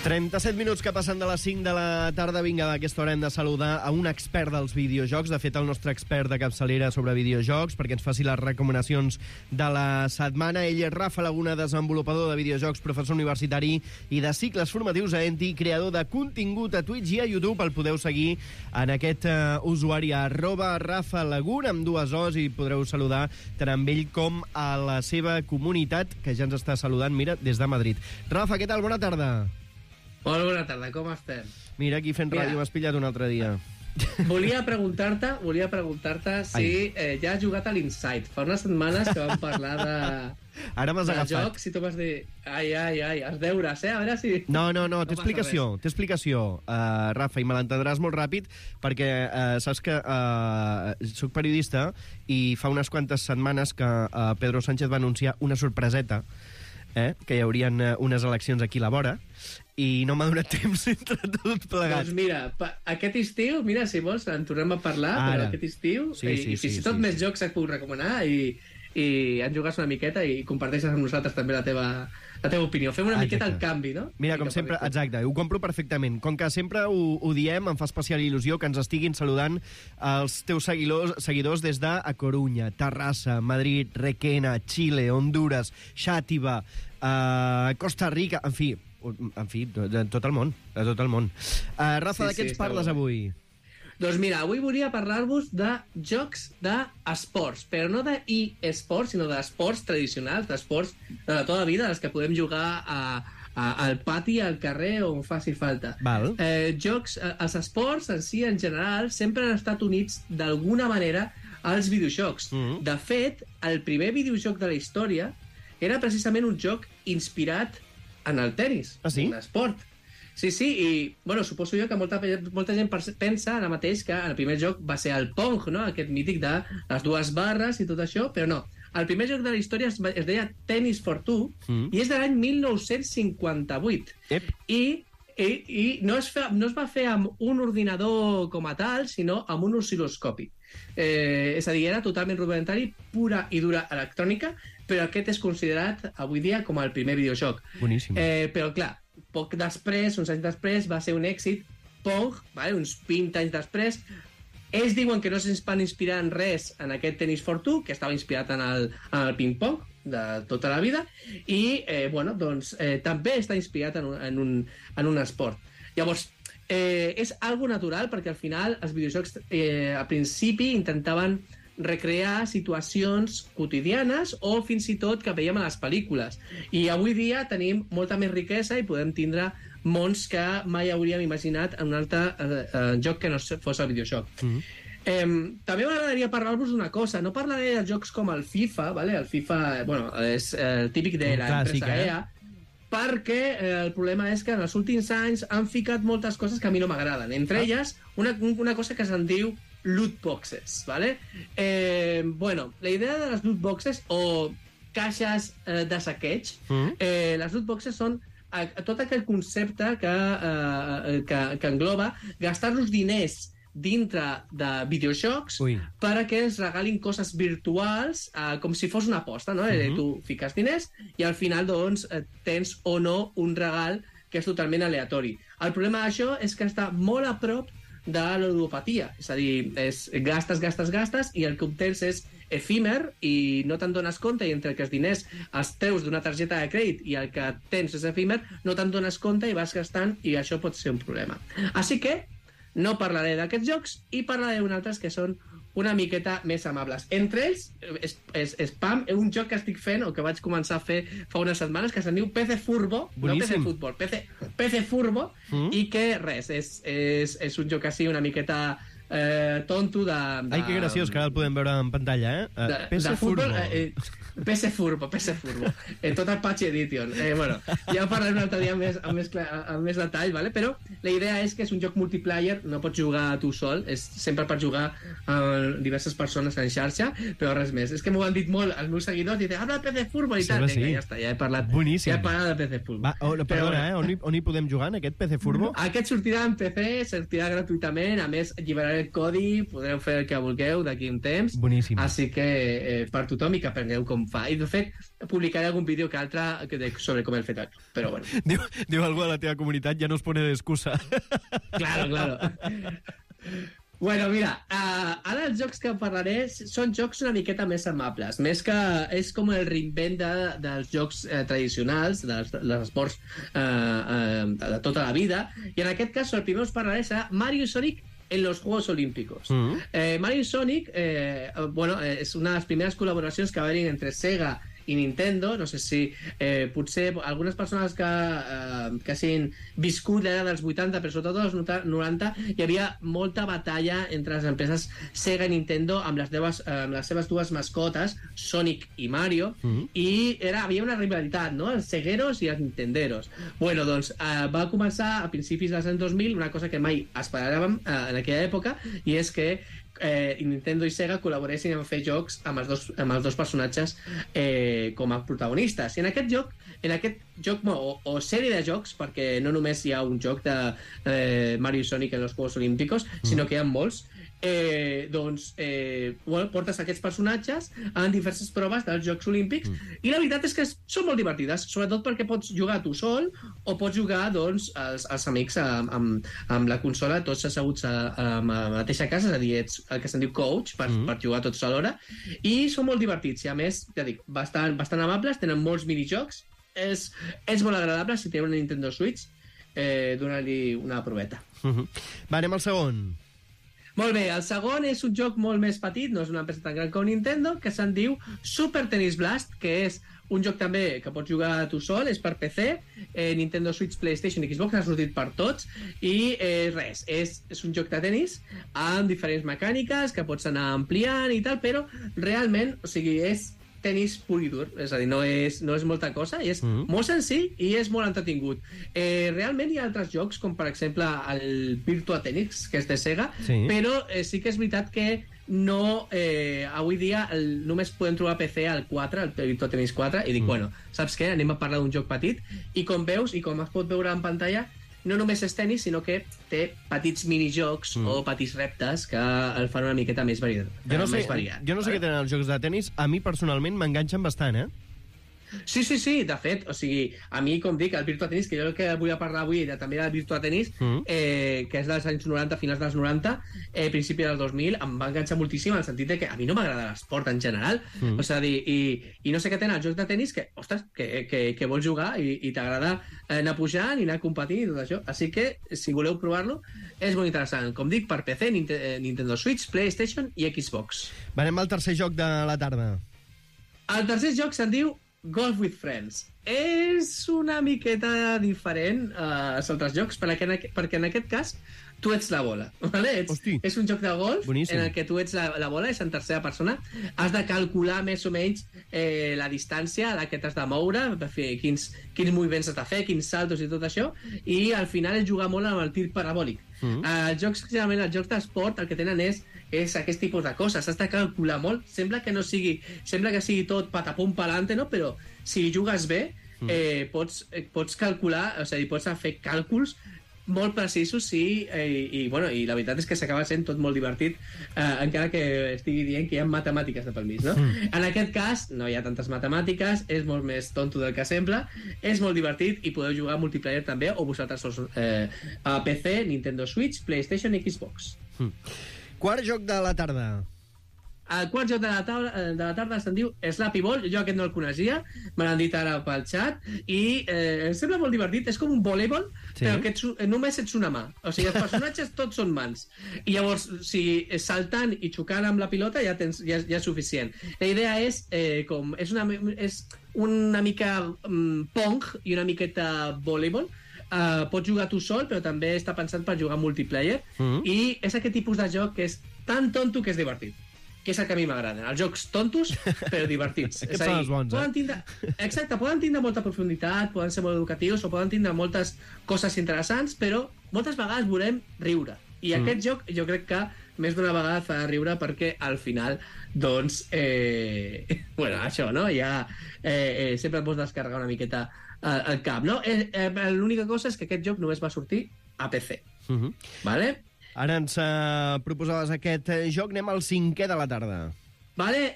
37 minuts que passen de les 5 de la tarda. Vinga, a aquesta hora hem de saludar a un expert dels videojocs, de fet el nostre expert de capçalera sobre videojocs, perquè ens faci les recomanacions de la setmana. Ell és Rafa Laguna, desenvolupador de videojocs, professor universitari i de cicles formatius a ENTI, creador de contingut a Twitch i a YouTube. El podeu seguir en aquest usuari @Rafa Laguna, amb 2 O's, i podreu saludar tant amb ell com a la seva comunitat, que ja ens està saludant, mira, des de Madrid. Rafa, què tal? Bona tarda. Molt bona tarda, com estem? Mira, aquí fent ràdio m'has pillat un altre dia. Volia preguntar-te si ja has jugat a l'Inside. Fa unes setmanes que vam parlar Ara m'has agafat. joc, si tu vas dir... Ai, els deures, a veure si... No, té explicació, Rafa, i me l'entendràs molt ràpid, perquè saps que soc periodista i fa unes quantes setmanes que Pedro Sánchez va anunciar una sorpreseta, que hi haurien unes eleccions aquí a la vora, i no m'ha donat temps entre tot plegat. Doncs mira, aquest estiu, mira, si vols, en tornem a parlar, però aquest estiu, i fins i tot més jocs et puc recomanar, i en jugues una miqueta i comparteixes amb nosaltres també la teva opinió. Fem una miqueta el canvi, no? Mira, com sempre, exacte, ho compro perfectament. Com que sempre ho diem, em fa especial il·lusió que ens estiguin saludant els teus seguidors des de A Corunya, Terrassa, Madrid, Requena, Xile, Honduras, Xàtiva, Costa Rica, en fi, de tot el món. Rafa, de què ens parles avui? Doncs mira, avui volia parlar-vos de jocs d'esports, però no d'e-esports, sinó d'esports tradicionals, d'esports de la tota vida, els que podem jugar al pati, al carrer, on faci falta. Els esports en si, en general, sempre han estat units d'alguna manera als videojocs. De fet, el primer videojoc de la història era precisament un joc inspirat en el tenis, un esport. Sí, i, bueno, suposo jo que molta gent pensa ara mateix que el primer joc va ser el Pong, no? Aquest mític de les 2 barres i tot això, però no. El primer joc de la història es deia Tennis for Two i és de l'any 1958. I no es va fer amb un ordinador com a tal, sinó amb un oscil·loscopi. És a dir, era totalment rudimentari, pura i dura electrònica, però aquest és considerat avui dia com el primer videojoc. Boníssim. Però clar, poc després, uns anys després, va ser un èxit. Pong, uns 20 anys després, ells diuen que no es van inspirar en res en aquest Tennis for Two, que estava inspirat en el ping-pong de tota la vida, i també està inspirat en un esport. Llavors, és algo natural, perquè al final els videojocs al principi intentaven recrear situacions quotidianes o fins i tot que veiem a les pel·lícules. I avui dia tenim molta més riquesa i podem tindre mons que mai hauríem imaginat en un altre joc que no fos el videojoc. També m'agradaria parlar-vos d'una cosa. No parlaré de jocs com el FIFA, el FIFA és el típic de l'empresa EA, perquè el problema és que en els últims anys han ficat moltes coses que a mi no m'agraden. Entre elles, una cosa que se'n diu loot boxes, ¿vale? La idea de les loot boxes o caixes de saqueig, les loot boxes són tot aquell concepte que engloba gastar-los diners dintre de videojocs perquè ens regalin coses virtuals com si fos una aposta, no? Tu fiques diners i al final doncs tens o no un regal que és totalment aleatori. El problema d'això és que està molt a prop de la ludopatia, és a dir, gastes i el que obtens és efímer i no te'n dones compte, i entre que els diners els treus d'una targeta de crèdit i el que tens és efímer, no te'n dones compte i vas gastant, i això pot ser un problema. Així que no parlaré d'aquests jocs i parlaré d'uns altres que són una miqueta més amables. Entre ells, Spam, un joc que estic fent, o que vaig començar a fer fa unes setmanes, que se'n diu PC Furbo, no PC Futbol, PC Furbo, i que res, és un joc així una miqueta tonto de... Ai, que graciós, que ara el podem veure en pantalla, de futbol, PC Furbo. Tot el Patch Edition. Bueno, ja parlaré un altre dia amb més detall, ¿vale? Però la idea és que és un joc multiplayer, no pots jugar tu sol, és sempre per jugar amb diverses persones en xarxa, però res més. És que m'ho han dit molt els meus seguidors, i diuen, habla de PC Furbo i tal. Vinga, ja està, ja he parlat. Boníssim. Ja he parlat de PC Furbo. Perdona, on hi podem jugar, en aquest PC Furbo? Aquest sortirà en PC, sortirà gratuïtament, a més lliberaré el codi, podreu fer el que vulgueu d'aquí un temps. Boníssim. Així que per tothom i que aprengueu com fa. I de fet, publicaré algun vídeo que altre sobre com el fet, però bueno. Diu algú de la teva comunitat, ja no es pone d'excusa. Claro. Bueno, mira, ara els jocs que parlaré són jocs una miqueta més amables, més que és com el reinvent dels jocs tradicionals, dels esports de tota la vida, i en aquest cas el primer us parlaré serà Mario i Sonic en los Juegos Olímpicos. Mario y Sonic, és una de les primeres col·laboracions que va haver entre Sega i Nintendo. No sé si potser algunes persones que hagin viscut l'era dels 80, però sobretot dels 90, hi havia molta batalla entre les empreses Sega i Nintendo amb les seves dues mascotes, Sonic i Mario, i havia una rivalitat, no?, els segueros i els nintenderos. Bueno, doncs va començar a principis dels anys 2000 una cosa que mai esperàvem en aquella època, i és que Nintendo i Sega col·laboressin en fer jocs amb els dos personatges com a protagonistes. I en aquest joc o sèrie de jocs, perquè no només hi ha un joc de Mario i Sonic en els Juegos Olímpicos, sinó que hi ha molts, portes aquests personatges en diverses proves dels Jocs Olímpics, i la veritat és que són molt divertides, sobretot perquè pots jugar tu sol o pots jugar els amics amb la consola, tots asseguts a la mateixa casa, és a dir, ets el que se'n diu coach per jugar tots alhora, i són molt divertits, i a més, ja dic, bastant amables, tenen molts minijocs, és molt agradable. Si teniu una Nintendo Switch, donar-li una proveta. Va, anem al segon. Molt bé, el segon és un joc molt més petit, no és una empresa tan gran com Nintendo, que se'n diu Super Tennis Blast, que és un joc també que pots jugar tu sol, és per PC, Nintendo Switch, PlayStation i Xbox, ha sortit per tots, i res, és un joc de tenis amb diferents mecàniques que pots anar ampliant i tal, però realment, o sigui, és tenis pur i dur, és a dir, no és molta cosa, i és molt senzill i és molt entretingut. Realment hi ha altres jocs, com per exemple el Virtua Tennis, que és de Sega, però sí que és veritat que no, avui dia només podem trobar a PC el 4, el Virtua Tennis 4, i dic, bueno, saps què? Anem a parlar d'un joc petit, i com veus, i com es pot veure en pantalla, no només és tenis, sinó que té petits minijocs o petits reptes que el fan una miqueta més variat. Jo no sé què tenen els jocs de tenis, a mi personalment m'enganxen bastant, Sí, de fet, o sigui, a mi, com dic, el Virtua Tennis, que jo el que vull parlar avui també del Virtua Tennis, que és dels anys 90, finals dels 90, principi dels 2000, em va enganxar moltíssim en el sentit que a mi no m'agrada l'esport en general, o sigui, i no sé què tenen els jocs de tenis que, ostres, que vols jugar i t'agrada anar pujant i anar competint i tot això, així que, si voleu provar-lo, és molt interessant. Com dic, per PC, Nintendo Switch, PlayStation i Xbox. Anem al tercer joc de la tarda. El tercer joc se'n diu Golf with Friends. És una miqueta diferent als altres jocs, perquè en aquest cas tu ets la bola, ¿vale? És un joc de golf en el que tu ets la bola, és en tercera persona, has de calcular més o menys la distància a la que t'has de moure, quins moviments has de fer, quins saltos i tot això, i al final és jugar molt amb el tir parabòlic. Els jocs d'esport el que tenen és aquest tipus de coses, has de calcular molt, sembla que sigui tot patapum palante, no? Però si jugues bé pots calcular, o sigui, pots fer càlculs molt precisos, i la veritat és que s'acaba sent tot molt divertit, encara que estigui dient que hi ha matemàtiques de pel mig, no? En aquest cas no hi ha tantes matemàtiques, és molt més tonto del que sembla, és molt divertit i podeu jugar multiplayer també, o vosaltres a PC, Nintendo Switch, PlayStation i Xbox. Quart joc de la tarda. El quart joc de la tarda se'n diu Slappy Ball. Jo aquest no el coneixia, me l'han dit ara pel xat, i em sembla molt divertit. És com un voleibol, però que només ets una mà. O sigui, els personatges tots són mans. I llavors, si saltant i xocant amb la pilota ja és suficient. La idea és una mica pong i una miqueta voleibol, pots jugar tu sol, però també està pensat per jugar multiplayer, i és aquest tipus de joc que és tan tonto que és divertit, que és el que a mi m'agrada. Els jocs tontos, però divertits. Aquests són els bons, Exacte, poden tindre molta profunditat, poden ser molt educatius, o poden tindre moltes coses interessants, però moltes vegades volem riure. I aquest joc, jo crec que més d'una vegada fa riure perquè al final, doncs, bueno, això, no? Ja sempre et pots descarregar una miqueta el cap, no? L'única cosa és que aquest joc només va sortir a PC. Vale? Ara ens proposaves aquest joc, anem al 5è de la tarda. Vale,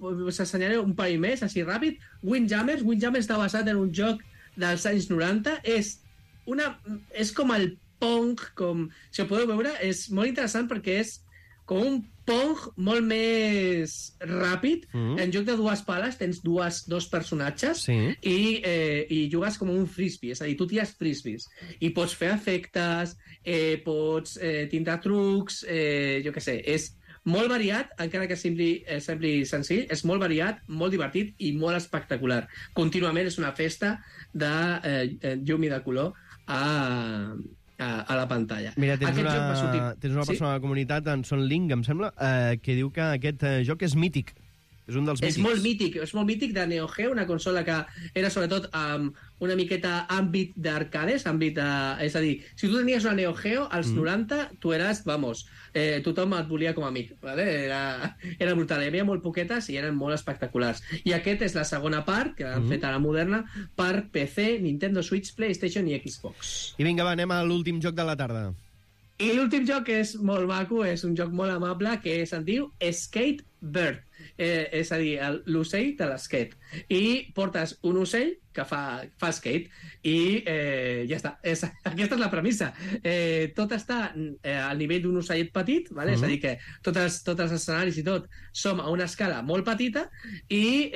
us assenyaré un parell més, així ràpid. Windjammers està basat en un joc dels anys 90. És com el Pong, si ho podeu veure, és molt interessant perquè és com un Pong molt més ràpid. En joc de dues pales tens dos personatges i jugues com un frisbee, és a dir, tu tires frisbees i pots fer efectes, pots tindre trucs, jo què sé, és molt variat, encara que sembli senzill, és molt variat, molt divertit i molt espectacular. Contínuament és una festa de llum i de color a la pantalla. Mira, tens una persona a la comunitat, en Son Link, em sembla, que diu que aquest joc és mític. És un dels mítics. És molt mític de Neo Geo, una consola que era sobretot una miqueta àmbit d'arcades, és a dir, si tu tenies una Neo Geo, als 90, tu eres, tothom et volia com a amic, ¿vale? Era brutal, hi havia molt poquetes i eren molt espectaculars. I aquest és la segona part, que han fet a la moderna, per PC, Nintendo Switch, PlayStation i Xbox. I vinga, va, anem a l'últim joc de la tarda. I l'últim joc és molt maco, és un joc molt amable, que se'n diu Skate Bird. És a dir, l'ocell de l'esquate. I portes un ocell que fa skate i ja està. Aquesta és la premissa. Tot està al nivell d'un ocellet petit, vale? És a dir, que tots els escenaris i tot som a una escala molt petita i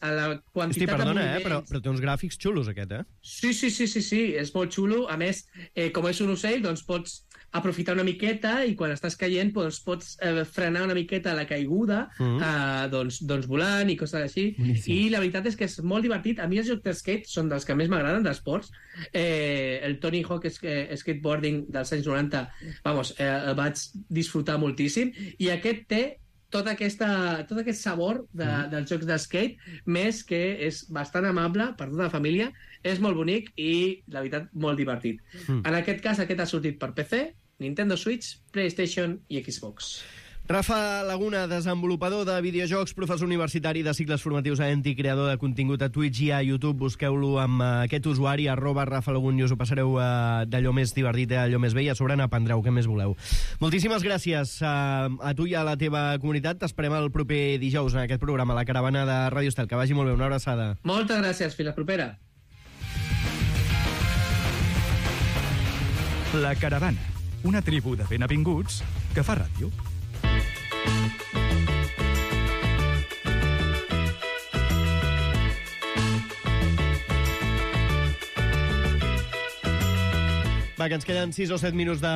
a la quantitat de moviments... però té uns gràfics xulos, aquest, eh? Sí, és molt xulo. A més, com és un ocell, doncs pots aprofitar una miqueta i quan estàs caient pots frenar una miqueta la caiguda doncs volant i coses així. Boníssim. I la veritat és que és molt divertit. A mi els jocs de skate són dels que més m'agraden d'esports. El Tony Hawk Skateboarding dels anys 90 el vaig disfrutar moltíssim i aquest té tot aquest sabor dels jocs de skate, més que és bastant amable per tota la família, és molt bonic i, la veritat, molt divertit. En aquest cas, aquest ha sortit per PC, Nintendo Switch, PlayStation i Xbox. Rafa Laguna, desenvolupador de videojocs, professor universitari de cicles formatius a ENTI, creador de contingut a Twitch i a YouTube. Busqueu-lo amb aquest usuari, @RafaLagun, i us ho passareu d'allò més divertit a allò més bé i a sobre n'aprendreu, què més voleu. Moltíssimes gràcies a tu i a la teva comunitat. T'esperem el proper dijous en aquest programa, La Caravana de Ràdio Estel. Que vagi molt bé, una abraçada. Moltes gràcies, fins la propera. La Caravana, una tribu de benvinguts que fa ràdio. Va, que ens queden 6 o 7 minuts de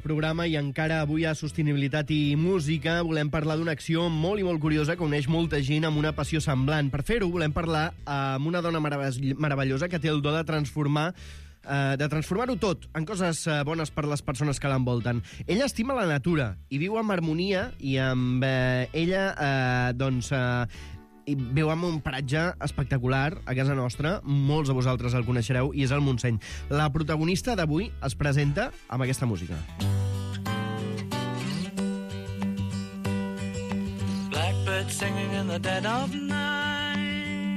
programa i encara avui a Sostenibilitat i Música volem parlar d'una acció molt i molt curiosa que uneix molta gent amb una passió semblant. Per fer-ho volem parlar amb una dona meravellosa que té el do de transformar-ho tot en coses bones per les persones que l'envolten. Ella estima la natura i viu amb harmonia i amb ella, i viu en un paratge espectacular a casa nostra, molts de vosaltres el coneixereu, i és el Montseny. La protagonista d'avui es presenta amb aquesta música. Blackbird singing in the dead of night.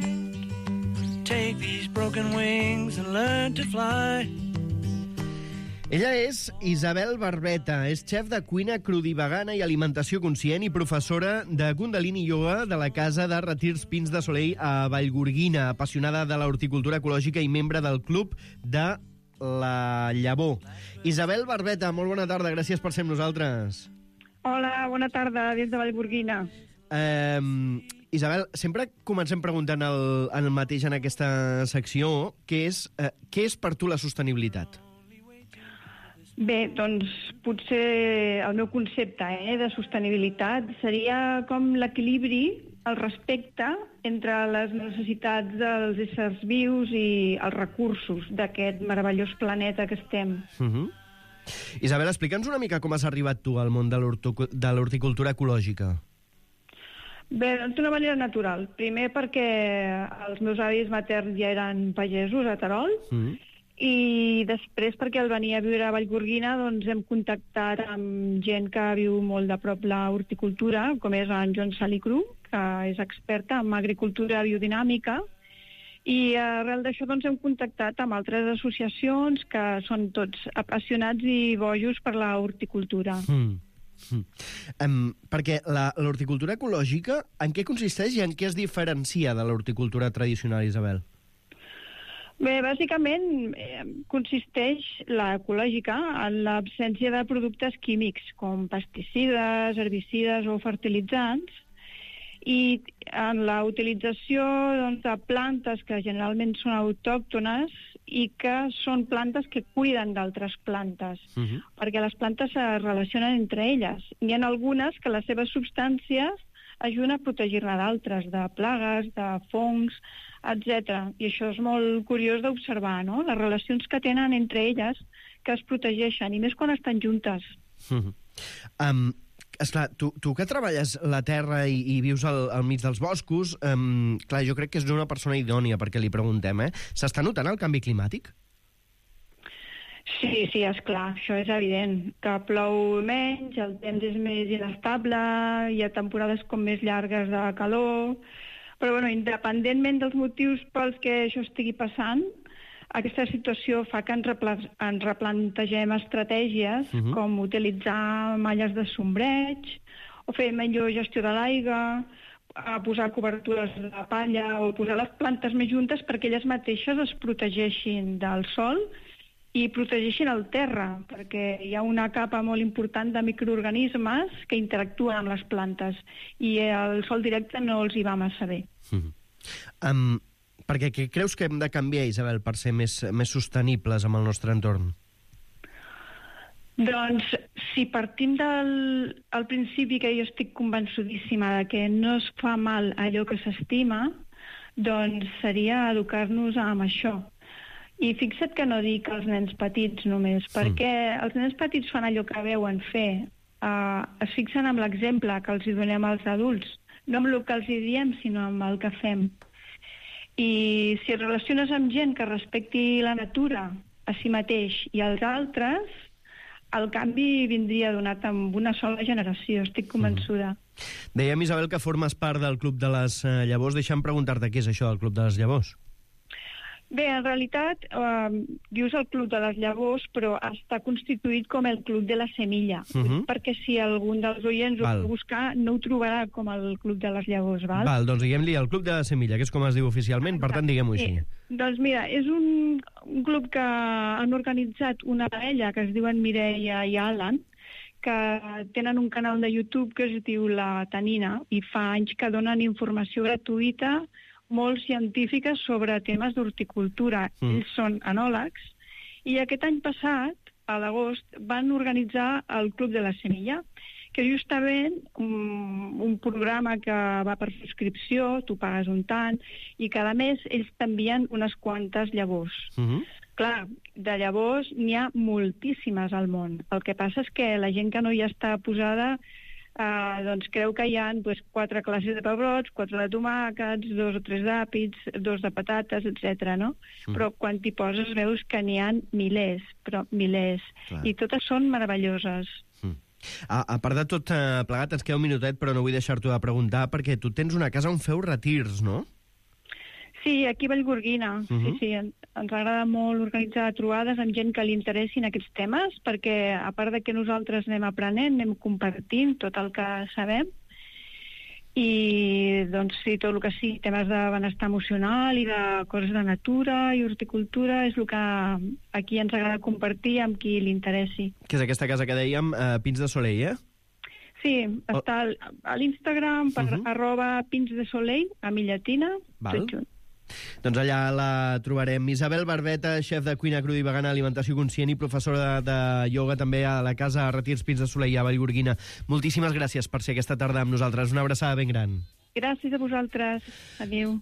Take these broken wings and learn to fly. Ella és Isabel Barbeta, és xef de cuina crudivegana i alimentació conscient i professora de Kundalini Yoga de la Casa de Retirs Pins de Soleil a Vallgorguina, apassionada de l'horticultura ecològica i membre del Club de la Llavor. Isabel Barbeta, molt bona tarda, gràcies per ser amb nosaltres. Hola, bona tarda, des de Vallgorguina. Isabel, sempre comencem preguntant el mateix en aquesta secció, què és per tu la sostenibilitat? Bé, doncs potser el meu concepte de sostenibilitat seria com l'equilibri el respecte entre les necessitats dels éssers vius i els recursos d'aquest meravellós planeta que estem. Isabel, explica'ns una mica com has arribat tu al món de l'horticultura ecològica. Bé, doncs d'una manera natural. Primer perquè els meus avis materns ja eren pagesos a Terol, i després perquè al venir a viure a Vallgorguina doncs hem contactat amb gent que viu molt de prop la horticultura, com és en Joan Salicru, que és experta en agricultura biodinàmica, i arrel d'això doncs hem contactat amb altres associacions que són tots apassionats i bojos per la horticultura. Perquè l'horticultura ecològica, en què consisteix i en què es diferencia de l'horticultura tradicional, Isabel? Bé, bàsicament consisteix l'ecològica en l'absència de productes químics com pesticides, herbicides o fertilitzants, i en la utilització de plantes que generalment són autòctones i que són plantes que cuiden d'altres plantes, perquè les plantes es relacionen entre elles. N'hi ha algunes que les seves substàncies ajuden a protegir-ne d'altres, de plagues, de fongs, etc. I això és molt curiós d'observar, no? Les relacions que tenen entre elles que es protegeixen, i més quan estan juntes. Esclar, tu que treballes la terra i vius al mig dels boscos, clar, jo crec que és una persona idònia perquè li preguntem, s'està notant el canvi climàtic? Sí, esclar, això és evident, que plou menys, el temps és més inestable, hi ha temporades com més llargues de calor, però bueno, independentment dels motius pels que això estigui passant, aquesta situació fa que ens replantegem estratègies com utilitzar malles de sombreig, o fer millor gestió de l'aigua, posar cobertures de palla o posar les plantes més juntes perquè elles mateixes es protegeixin del sol i protegeixin el terra, perquè hi ha una capa molt important de microorganismes que interactuen amb les plantes i el sol directe no els hi va massa bé. Perquè què creus que hem de canviar, Isabel, per ser més sostenibles amb el nostre entorn? Doncs, si partim del principi que jo estic convençudíssima de que no es fa mal allò que s'estima, doncs seria educar-nos amb això. I fixa't que no dic als nens petits només, perquè els nens petits fan allò que veuen fer, es fixen amb l'exemple que els donem als adults, no amb el que els diem, sinó amb el que fem. I si et relaciones amb gent que respecti la natura, a si mateix i als altres, el canvi vindria donat amb una sola generació, estic convençuda. Dèiem, Isabel, que formes part del Club de les Llavors. Deixa'm preguntar-te què és això del Club de les Llavors. Bé, en realitat, dius el Club de les Llavors, però està constituït com el Club de la Semilla, perquè si algun dels oients ho vol buscar, no ho trobarà com el Club de les Llavors, val? Val, doncs diguem-li el Club de la Semilla, que és com es diu oficialment, per tant, diguem-ho així. Doncs mira, és un club que han organitzat una parella que es diuen Mireia i Alan, que tenen un canal de YouTube que es diu La Tanina, i fa anys que donen informació gratuïta molt científica sobre temes d'horticultura. Ells són enòlegs, i aquest any passat, a l'agost, van organitzar el Club de la Semilla, que justament un programa que va per subscripció, tu pagues un tant, i cada mes ells t'envien unes quantes llavors. Clar, de llavors n'hi ha moltíssimes al món. El que passa és que la gent que no hi està posada doncs creu que hi ha 4 classes de pebrots, 4 de tomàquets, 2 o 3 d'àpids, 2 de patates, etc. no? Però quan t'hi poses veus que n'hi ha milers, però milers. Clar. I totes són meravelloses. A part de tot plegat, ens queda un minutet, però no vull deixar-t'ho de preguntar, perquè tu tens una casa on feu retirs, no? Sí, aquí a Vallgorguina. Sí, ens agrada molt organitzar trobades amb gent que li interessin aquests temes, perquè a part de que nosaltres anem aprenent, anem compartint tot el que sabem, i doncs sí, tot el que sí, temes de benestar emocional i de coses de natura i horticultura és el que aquí ens agrada compartir amb qui li interessi. Que és aquesta casa que dèiem, Pins de Soleil, Sí, està a l'Instagram per @pinsdesoleil, a mi llatina, tot junt. Doncs allà la trobarem. Isabel Barbeta, xef de cuina cruda i vegana, alimentació conscient i professora de ioga també a la casa Retirs Pins de Soleil a Vallgorguina. Moltíssimes gràcies per ser aquesta tarda amb nosaltres. Una abraçada ben gran. Gràcies a vosaltres. Adéu.